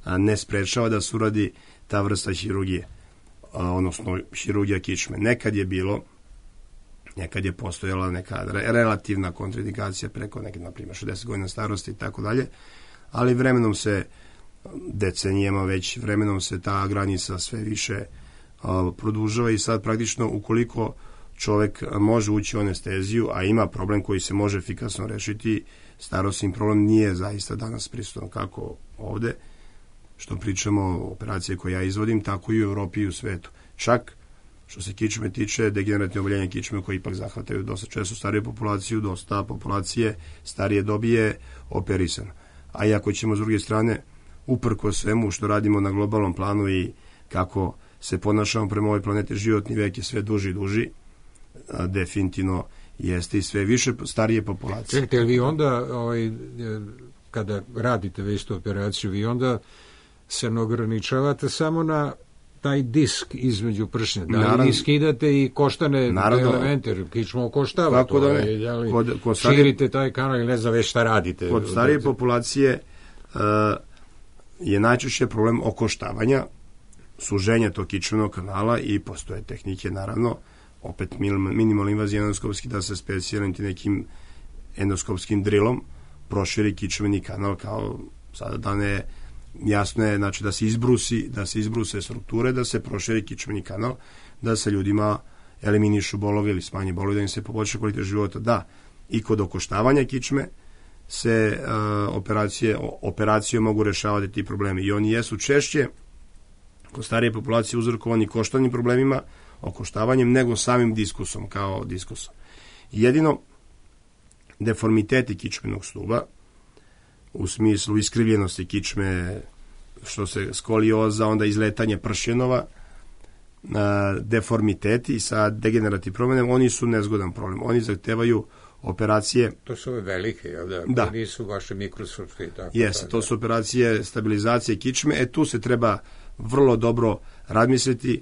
ne sprečava da se uradi ta vrsta hirurgije, odnosno hirurgija kičme. Nekad je postojala neka relativna kontraindikacija preko neke, na primjer, 60 godina starosti i tako dalje, ali vremenom se, decenijama već, vremenom se ta granica sve više produžava i sad praktično ukoliko čovek može ući u anesteziju, a ima problem koji se može efikasno rešiti, starosni problem nije zaista danas prisutan kako ovde, što pričamo o operacije koje ja izvodim, tako i u Evropi i u svetu. Čak što se kičme tiče, degenerativne oboljenja kičme koje ipak zahvataju dosta često stariju populaciju, dosta populacije starije dobi je operisano. A i ako ćemo s druge strane, uprko svemu što radimo na globalnom planu i kako se ponašamo prema ovoj planeti, životni vek je sve duži i duži, definitivno jeste i sve više starije populacije. Čekajte, vi onda, kada radite već tu operaciju, vi onda se ne ograničavate samo na taj disk između pršnja, da li skidate i koštane elemente, jer kičma okoštava to, širite taj kanal ili ne znam već šta radite. Kod starije populacije je najčešće problem okoštavanja, suženja tog kičmenog kanala i postoje tehnike, naravno, opet minimalno invazija endoskopski, da se specijaliti nekim endoskopskim drilom proširi kičmeni kanal, kao sada da ne jasno je, znači da se izbruse strukture, da se proširi kičmeni kanal, da se ljudima eliminišu bolovi ili smanje bolovi, da im se poboljša kvalitet života. Da, i kod okoštavanja kičme se operacijom mogu rešavati ti problemi i oni jesu češće kod starije populacije uzrokovani koštanim problemima, okoštavanjem, nego samim diskusom, kao diskusom. Jedino deformiteti kičmenog stuba, u smislu iskrivljenosti kičme, što se skolioza, onda izletanje pršenova, deformiteti sa degenerativnim problemom, oni su nezgodan problem. Oni zahtevaju operacije. To su ove velike, jel da? Da. Nisu vaše mikroskopske i tako. Jeste, to su operacije stabilizacije kičme. Tu se treba vrlo dobro razmisliti,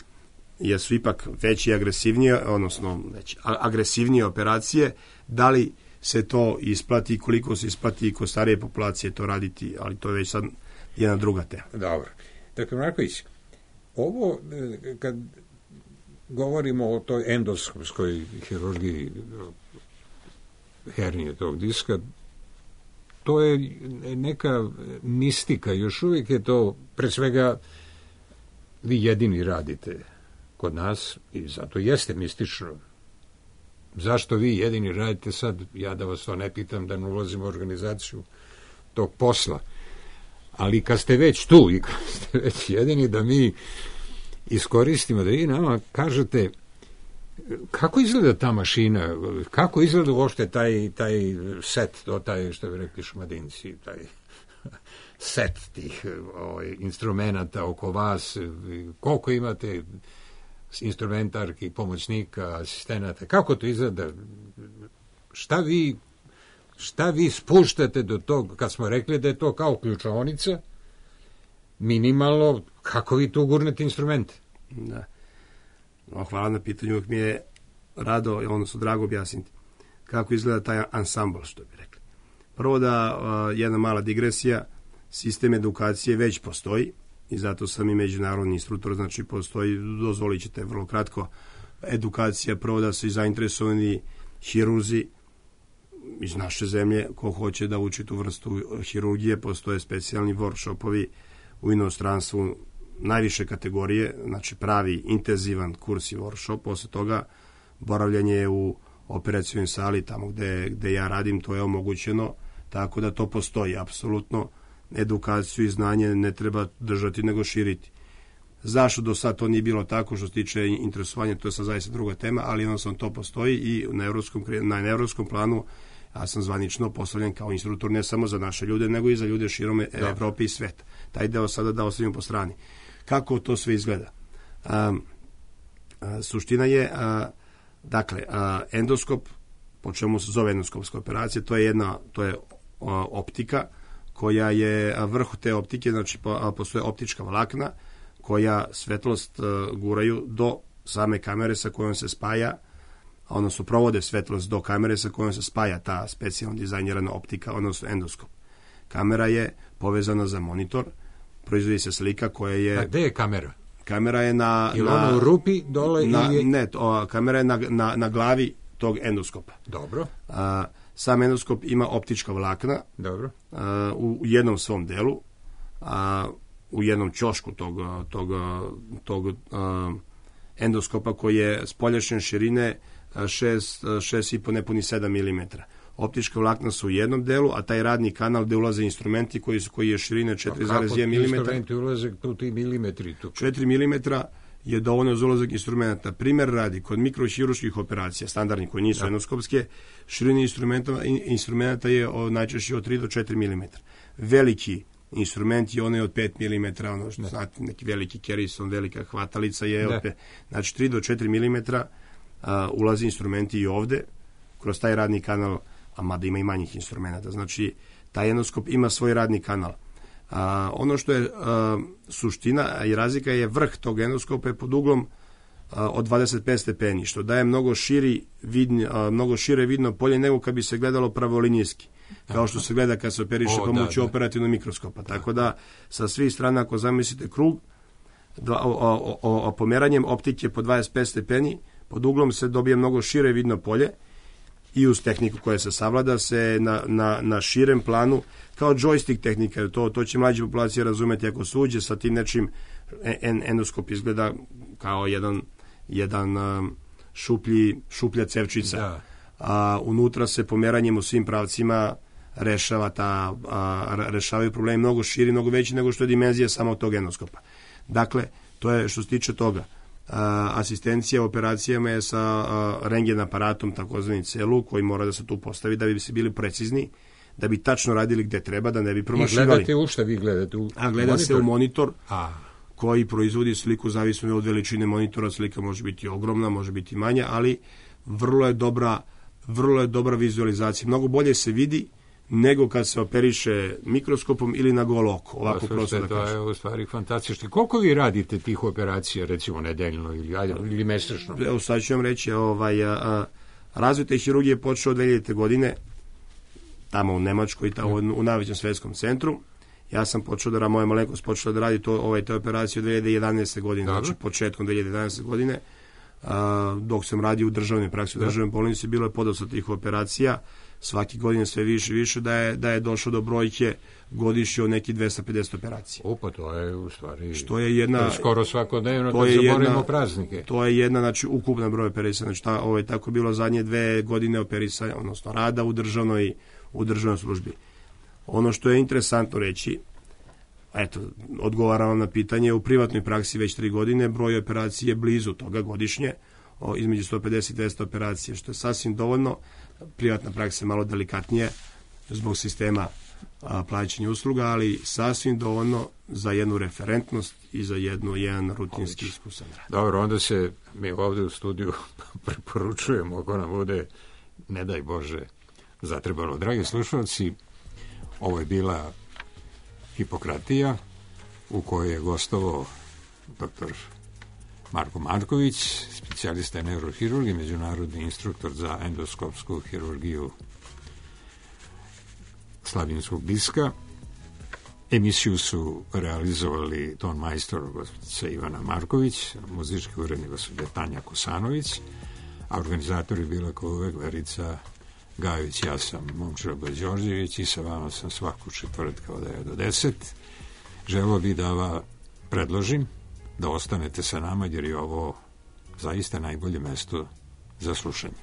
jer su ipak veće i agresivnije, odnosno agresivnije operacije, da li se to isplati, koliko se isplati kod starije populacije to raditi, ali to je već sad jedna druga tema. Dobro. Dakle, Marković, ovo, kad govorimo o toj endoskopskoj hirurgiji hernije tog diska, to je neka mistika, još uvijek je to, pre svega, vi jedini radite kod nas i zato jeste mistično. Zašto vi jedini radite sad, ja da vas to ne pitam, da ne ulazim u organizaciju tog posla, ali kad ste već tu i kad ste već jedini, da mi iskoristimo, da vi nama kažete kako izgleda ta mašina, kako izgleda uopšte taj set, taj što bi rekli Šumadinci, taj set tih instrumenta oko vas, koliko imate instrumentarki, pomoćnika, asistenata, kako to izgleda, šta vi spuštate do tog, kad smo rekli da je to kao ključaonica, minimalno, kako vi tu gurnete instrumente? Da. No, hvala na pitanju, uvijek mi je rado, odnosno drago objasniti kako izgleda taj ansambl, što bi rekli. Prvo da jedna mala digresija, sistem edukacije već postoji i zato sam i međunarodni instruktor, znači postoji, dozvolit ćete vrlo kratko, edukacija, prvo da su i zainteresovani hirurzi iz naše zemlje, ko hoće da uči tu vrstu hirurgije, postoje specijalni workshopovi u inostranstvu, najviše kategorije, znači pravi intenzivan kurs i workshop, posle toga boravljanje u operacijnoj sali, tamo gde ja radim, to je omogućeno, tako da to postoji, apsolutno edukaciju i znanje ne treba držati nego širiti. Zašto do sad to nije bilo tako što se tiče interesovanja, to je sad zaista druga tema, ali jednostavno to postoji i na evropskom planu Ja sam zvanično postavljen kao instruktor ne samo za naše ljude, nego i za ljude širom Evrope i sveta. Taj deo sada da ostavimo po strani. Kako to sve izgleda? Suština je, dakle, endoskop, po čemu se zove endoskopska operacija, to je optika koja je vrh te optike, znači postoje optička vlakna koja svetlost guraju do same kamere sa kojom se spaja, odnosno provode svetlost do kamere sa kojom se spaja ta specijalno dizajnirana optika, odnosno endoskop. Kamera je povezana za monitor, proizvodi se slika koja je... A gde je kamera? Kamera je ili ona u rupi dole? Ne, kamera je na glavi tog endoskopa. Dobro. Sam endoskop ima optička vlakna. Dobro. U jednom svom delu, u jednom ćošku tog endoskopa koji je spoljašnje širine 6,5 nepuni 7 mm. Optička vlakna su u jednom delu, a taj radni kanal gde ulaze instrumenti koji je širine 4,1 mm. Instrumenti ulaze tu milimetri? 4 mm je dovoljno za ulazak instrumenta. Primer radi, kod mikrohirurških operacija, standardnih koji nisu endoskopske, širine instrumenta je najčešće od 3 do 4 mm. Veliki instrument je onaj od 5 mm, ono što znate, neki veliki kerison, velika hvatalica je od 5. Znači 3 do 4 mm ulazi instrumenti i ovde, kroz taj radni kanal, a mada ima i manjih instrumenta. Znači, taj endoskop ima svoj radni kanal. Ono što je suština i razlika je vrh tog endoskopa je pod uglom od 25 stepeni, što daje mnogo šire vidno polje nego kad bi se gledalo pravolinijski, kao što se gleda kad se operiše pomoću operativnog mikroskopa. Tako da, sa svih strana, ako zamislite krug, pomeranjem optike po 25 stepeni, pod uglom se dobije mnogo šire vidno polje i uz tehniku koja se savlada se na širem planu, kao joystick tehnika, to će mlađe populacije razumeti ako se uđe sa tim nečim, endoskop izgleda kao jedan šuplja cevčica. A unutra se pomeranjem u svim pravcima rešavaju problemi mnogo širi, mnogo veći nego što je dimenzija samog tog endoskopa. Dakle, to je što se tiče toga. Asistencija u operacijama je sa rendgen aparatom, takozvani celu, koji mora da se tu postavi da bi se bili precizni, da bi tačno radili gde treba, da ne bi promašivali. I gledate u šta vi gledate? Gleda se u monitor koji proizvodi sliku zavisno od veličine monitora. Slika može biti ogromna, može biti manja, ali vrlo je dobra vizualizacija. Mnogo bolje se vidi nego kad se operiše mikroskopom ili na golo oko. Ovako prosto da kažem. To je u stvari fantastično. Koliko vi radite tih operacija, recimo nedeljno ili mesečno? Evo sad ću vam reći, razvoj te hirurgije je počeo od 2000. godine, tamo u Nemačkoj, u najvećem svetskom centru. Ja sam moja malenkost počela da radi te operacije od 2011. godine, znači početkom 2011. godine, dok sam radio u državnoj praksi, u državnoj bolnici, bilo je podosta tih operacija, svaki godin sve više i više, da je došlo do brojke godišnje od nekih 250 operacija. Pa to je u stvari što je jedna, skoro svakodnevno kad zaboravimo praznike. To je jedna, znači, ukupna broj operacija. Znači, tako bilo zadnje 2 godine operisanja, odnosno rada u državnoj službi. Ono što je interesantno reći, odgovaram vam na pitanje, u privatnoj praksi već 3 godine, broj operacije je blizu toga godišnje, između 150 i 200 operacije, što je sasvim dovoljno. Privatna praksa je malo delikatnije zbog sistema plaćanja usluga, ali sasvim dovoljno za jednu referentnost i za jedan rutinski iskusan rad. Dobro, onda se mi ovde u studiju preporučujemo ako nam bude, ne daj Bože, zatrebalo. Dragi slušalci, ovo je bila Hipokratija u kojoj je gostovao dr. Marko Marković, specijalista neurohirurg i međunarodni instruktor za endoskopsku hirurgiju slavljenskog diska. Emisiju su realizovali ton majstor gospođa Ivana Marković, muzički urednik gospođa Tanja Kosanović, a organizator je bila kao uvek Verica Gajović. Ja sam Momčilo Đorđević i sa vama sam svaku četvrtka od 9 do 10. Želeo bih da vam predložim da ostanete sa nama jer je ovo zaista najbolje mesto za slušanje.